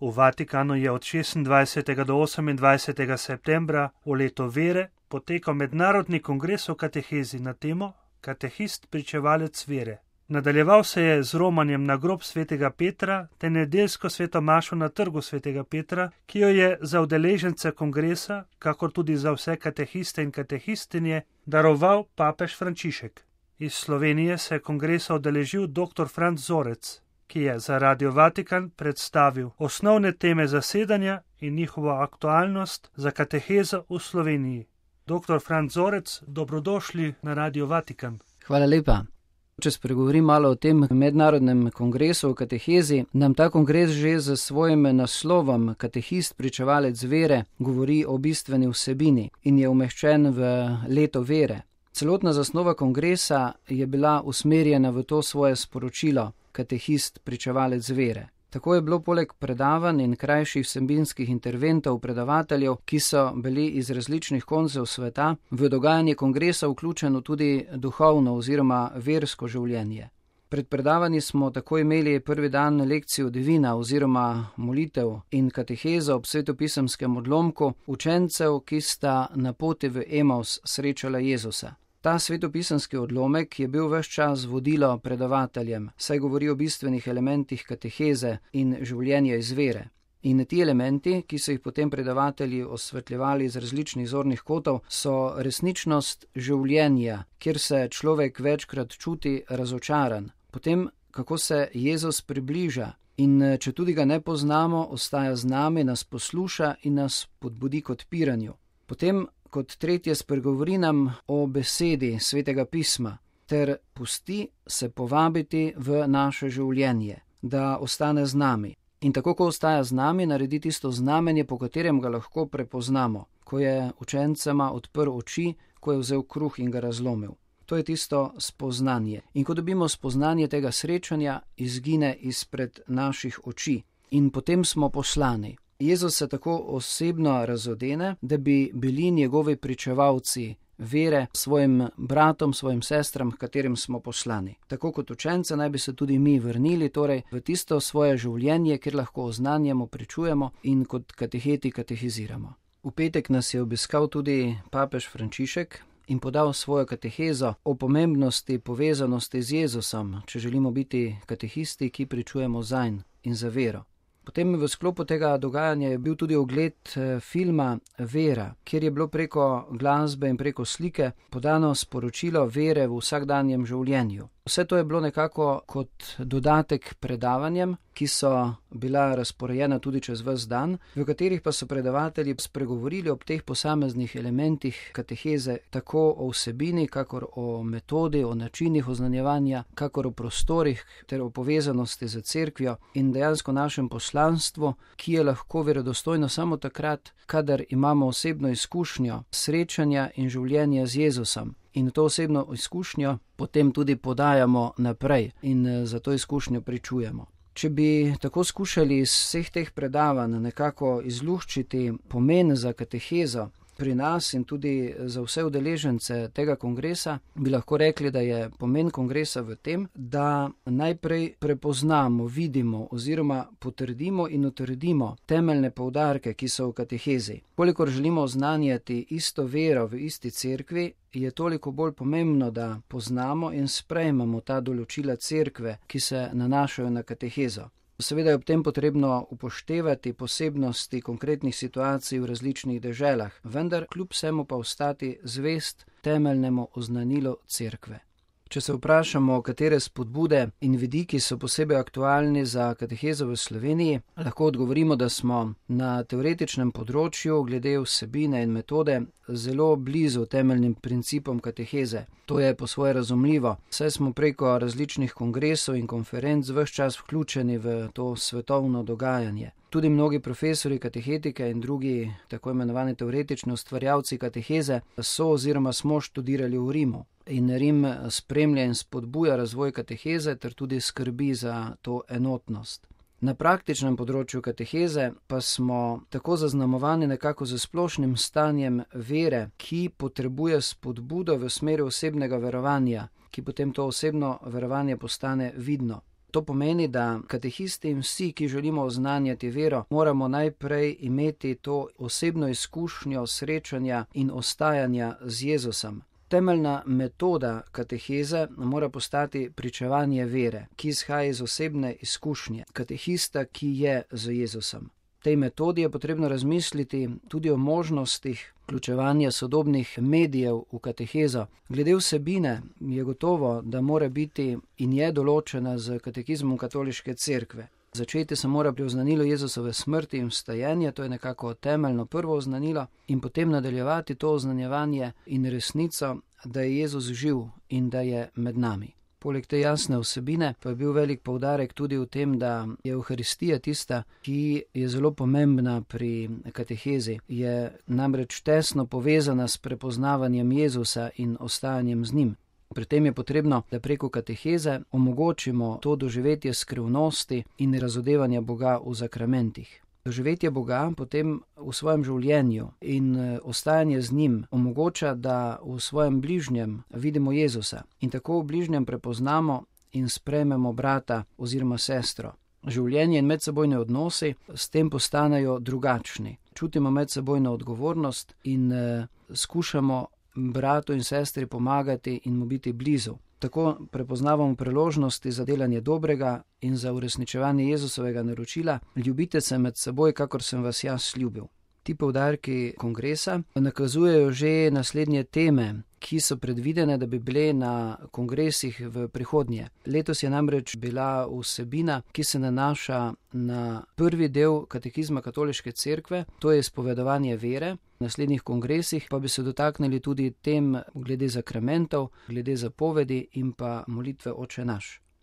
V Vatikanu je od 26. do 28. septembra v leto vere potekal mednarodni kongres o katehezi na temo Katehist pričevalec vere. Nadaljeval se je z romanjem na grob svetega Petra ter nedeljsko sveto mašo na trgu svetega Petra, ki jo je za udeležence kongresa, kakor tudi za vse katehiste in katehistinje, daroval papež Frančišek. Iz Slovenije se je kongresa udeležil dr. Franc Zorec, ki je za Radio Vatikan predstavil osnovne teme zasedanja in njihovo aktualnost za katehezo v Sloveniji. Dr. Franc Zorec, dobrodošli na Radio Vatikan. Hvala lepa. Če spregovorim malo o tem mednarodnem kongresu o katehezi, nam ta kongres že z svojim naslovom Katehist pričevalec vere govori o bistveni vsebini in je umeščen v leto vere. Celotna zasnova kongresa je bila usmerjena v to svoje sporočilo Katehist pričevalec vere. Tako je bilo poleg predavanj in krajših vsebinskih interventov predavateljev, ki so bili iz različnih koncev sveta, v dogajanje kongresa vključeno tudi duhovno oziroma versko življenje. Pred predavanji smo tako imeli prvi dan lekcijo divina oziroma molitev in katehezo ob svetopisemskem odlomku učencev, ki sta na poti v Emaus srečala Jezusa. Ta svetopisemski odlomek je bil ves čas vodilo predavateljem, saj govori o bistvenih elementih kateheze in življenja iz vere. In ti elementi, ki so jih potem predavatelji osvetljevali iz različnih zornih kotov, so resničnost življenja, kjer se človek večkrat čuti razočaran. Potem, kako se Jezus približa in če tudi ga ne poznamo, ostaja z nami, nas posluša in nas podbudi k odpiranju. Potem, kot tretje, spregovori nam o besedi Svetega pisma ter pusti se povabiti v naše življenje, da ostane z nami. In tako, ko ostaja z nami, naredi tisto znamenje, po katerem ga lahko prepoznamo, ko je učencema odprl oči, ko je vzel kruh in ga razlomil. To je tisto spoznanje. In ko dobimo spoznanje tega srečanja, izgine izpred naših oči. In potem smo poslani. Jezus se tako osebno razodene, da bi bili njegovi pričevalci vere svojim bratom, svojim sestram, katerim smo poslani. Tako kot učence naj bi se tudi mi vrnili, torej v tisto svoje življenje, kjer lahko oznanjamo, pričujemo in kot kateheti katehiziramo. V petek nas je obiskal tudi papež Frančišek in podal svojo katehezo o pomembnosti povezanosti z Jezusom, če želimo biti katehisti, ki pričujemo zanj in za vero. Potem v sklopu tega dogajanja je bil tudi ogled filma Vera, kjer je bilo preko glasbe in preko slike podano sporočilo vere v vsakdanjem življenju. Vse to je bilo nekako kot dodatek predavanjem, ki so bila razporejena tudi čez ves dan, v katerih pa so predavatelji spregovorili ob teh posameznih elementih kateheze, tako o vsebini, kakor o metodi, o načinih oznanjevanja, kakor o prostorih ter o povezanosti z cerkvijo in dejansko našem poslanstvu, ki je lahko verodostojno samo takrat, kadar imamo osebno izkušnjo srečanja in življenja z Jezusom. In to osebno izkušnjo potem tudi podajamo naprej in za to izkušnjo pričujemo. Če bi tako skušali iz vseh teh predavanj nekako izluščiti pomen za katehezo pri nas in tudi za vse udeležence tega kongresa, bi lahko rekli, da je pomen kongresa v tem, da najprej prepoznamo, vidimo oziroma potrdimo in utrdimo temeljne poudarke, ki so v katehezi. Kolikor želimo oznanjati isto vero v isti cerkvi, je toliko bolj pomembno, da poznamo in sprejmemo ta določila cerkve, ki se nanašajo na katehezo. Seveda je ob tem potrebno upoštevati posebnosti konkretnih situacij v različnih deželah, vendar kljub vsemu pa ostati zvest temeljnemu oznanilu cerkve. Če se vprašamo, katere spodbude in vidiki so posebej aktualni za katehezo v Sloveniji, lahko odgovorimo, da smo na teoretičnem področju glede vsebine in metode zelo blizu temeljnim principom kateheze. To je po svoje razumljivo, saj smo preko različnih kongresov in konferenc ves čas vključeni v to svetovno dogajanje. Tudi mnogi profesori katehetike in drugi tako imenovani teoretični ustvarjalci kateheze so oziroma smo študirali v Rimu. In Rim spremlja in spodbuja razvoj kateheze ter tudi skrbi za to enotnost. Na praktičnem področju kateheze pa smo tako zaznamovani nekako z splošnim stanjem vere, ki potrebuje spodbudo v smeri osebnega verovanja, ki potem to osebno verovanje postane vidno. To pomeni, da katehisti in vsi, ki želimo oznanjati vero, moramo najprej imeti to osebno izkušnjo srečanja in ostajanja z Jezusom. Temeljna metoda kateheze mora postati pričevanje vere, ki izhaja iz osebne izkušnje katehista, ki je z Jezusom. V tej metodi je potrebno razmisliti tudi o možnostih vključevanja sodobnih medijev v katehezo. Glede vsebine je gotovo, da mora biti in je določena z katekizmom katoliške cerkve. Začeti se mora pri oznanilu Jezusove smrti in vstajenja, to je nekako temeljno prvo oznanilo, in potem nadaljevati to oznanjevanje in resnico, da je Jezus živ in da je med nami. Poleg te jasne vsebine pa je bil velik poudarek tudi v tem, da je Evharistija tista, ki je zelo pomembna pri katehezi. Je namreč tesno povezana s prepoznavanjem Jezusa in ostajanjem z njim. Pri tem je potrebno, da preko kateheze omogočimo to doživetje skrivnosti in razodevanja Boga v zakramentih. Doživetje Boga potem v svojem življenju in ostajanje z njim omogoča, da v svojem bližnjem vidimo Jezusa in tako v bližnjem prepoznamo in sprejmemo brata oziroma sestro. Življenje in medsebojne odnosi s tem postanejo drugačni. Čutimo medsebojno odgovornost in skušamo bratu in sestri pomagati in mu biti blizu. Tako prepoznavamo priložnosti za delanje dobrega in za uresničevanje Jezusovega naročila: ljubite se med seboj, kakor sem vas jaz ljubil. Ti poudarki kongresa nakazujejo že naslednje teme, ki so predvidene, da bi bile na kongresih v prihodnje. Letos je namreč bila vsebina, ki se nanaša na prvi del katekizma katoliške cerkve, to je izpovedovanje vere. V naslednjih kongresih pa bi se dotaknili tudi tem glede zakramentov, glede zapovedi in pa molitve Oče naš.